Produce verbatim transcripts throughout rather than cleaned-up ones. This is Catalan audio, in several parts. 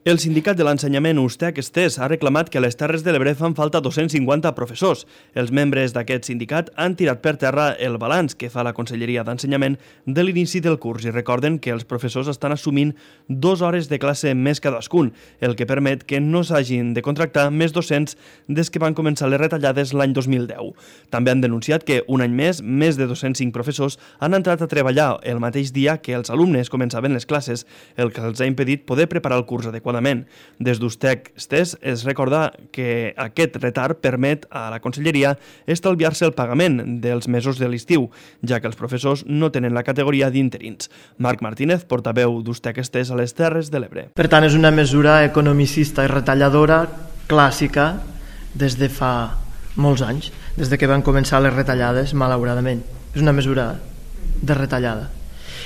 El sindicat de l'ensenyament Ustec-Estés ha reclamat que a les Terres de l'Ebre fan falta dos-cents cinquanta professors. Els membres d'aquest sindicat han tirat per terra el balanç que fa la Conselleria d'Ensenyament de l'inici del curs i recorden que els professors estan assumint dues hores de classe més cadascun, el que permet que no s'hagin de contractar més docents des que van començar les retallades l'any dos mil deu. També han denunciat que un any més, més de dos-cents cinc professors han entrat a treballar el mateix dia que els alumnes començaven les classes, el que els ha impedit poder preparar el curs adequadament. Des d'Ustec-Estés es recorda que aquest retard permet a la Conselleria estalviar-se el pagament dels mesos de l'estiu, ja que els professors no tenen la categoria d'interins. Marc Martínez, portaveu d'Ustec-Estés a les Terres de l'Ebre. Per tant, és una mesura economicista i retalladora clàssica des de fa molts anys, des de que van començar les retallades, malauradament. És una mesura de retallada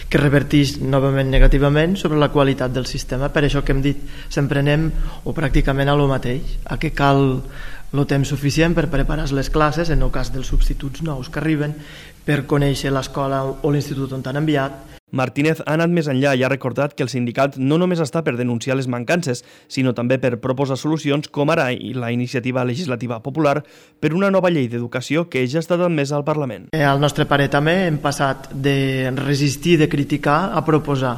que reverteix novament negativament sobre la qualitat del sistema. Per això que hem dit, sempre anem o pràcticament a lo mateix, a que cal el temps suficient per preparar les classes, en el cas dels substituts nous que arriben, per conèixer l'escola o l'institut on t'han enviat. Martínez ha anat més enllà i ha recordat que el sindicat no només està per denunciar les mancances, sinó també per proposar solucions com ara la iniciativa legislativa popular per una nova llei d'educació que ja ha estat admesa al Parlament. Eh, al nostre parer també hem passat de resistir, de criticar, a proposar.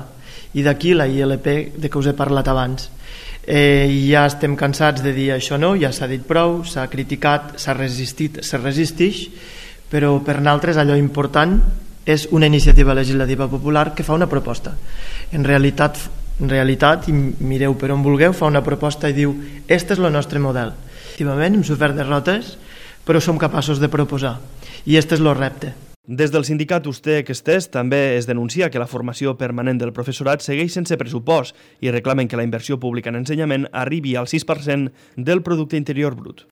I d'aquí la I L P de què us he parlat abans. Eh, ja estem cansats de dir això no, ja s'ha dit prou, s'ha criticat, s'ha resistit, se resistix, però per nosaltres allò important és una iniciativa legislativa popular que fa una proposta. En realitat, en realitat, i mireu per on vulgueu, fa una proposta i diu «Este és el nostre model». Efectivament, hem sofert derrotes, però som capaços de proposar. I este és el repte. Des del sindicat Ustec-Estés també es denuncia que la formació permanent del professorat segueix sense pressupost i reclamen que la inversió pública en ensenyament arribi al sis per cent del producte interior brut.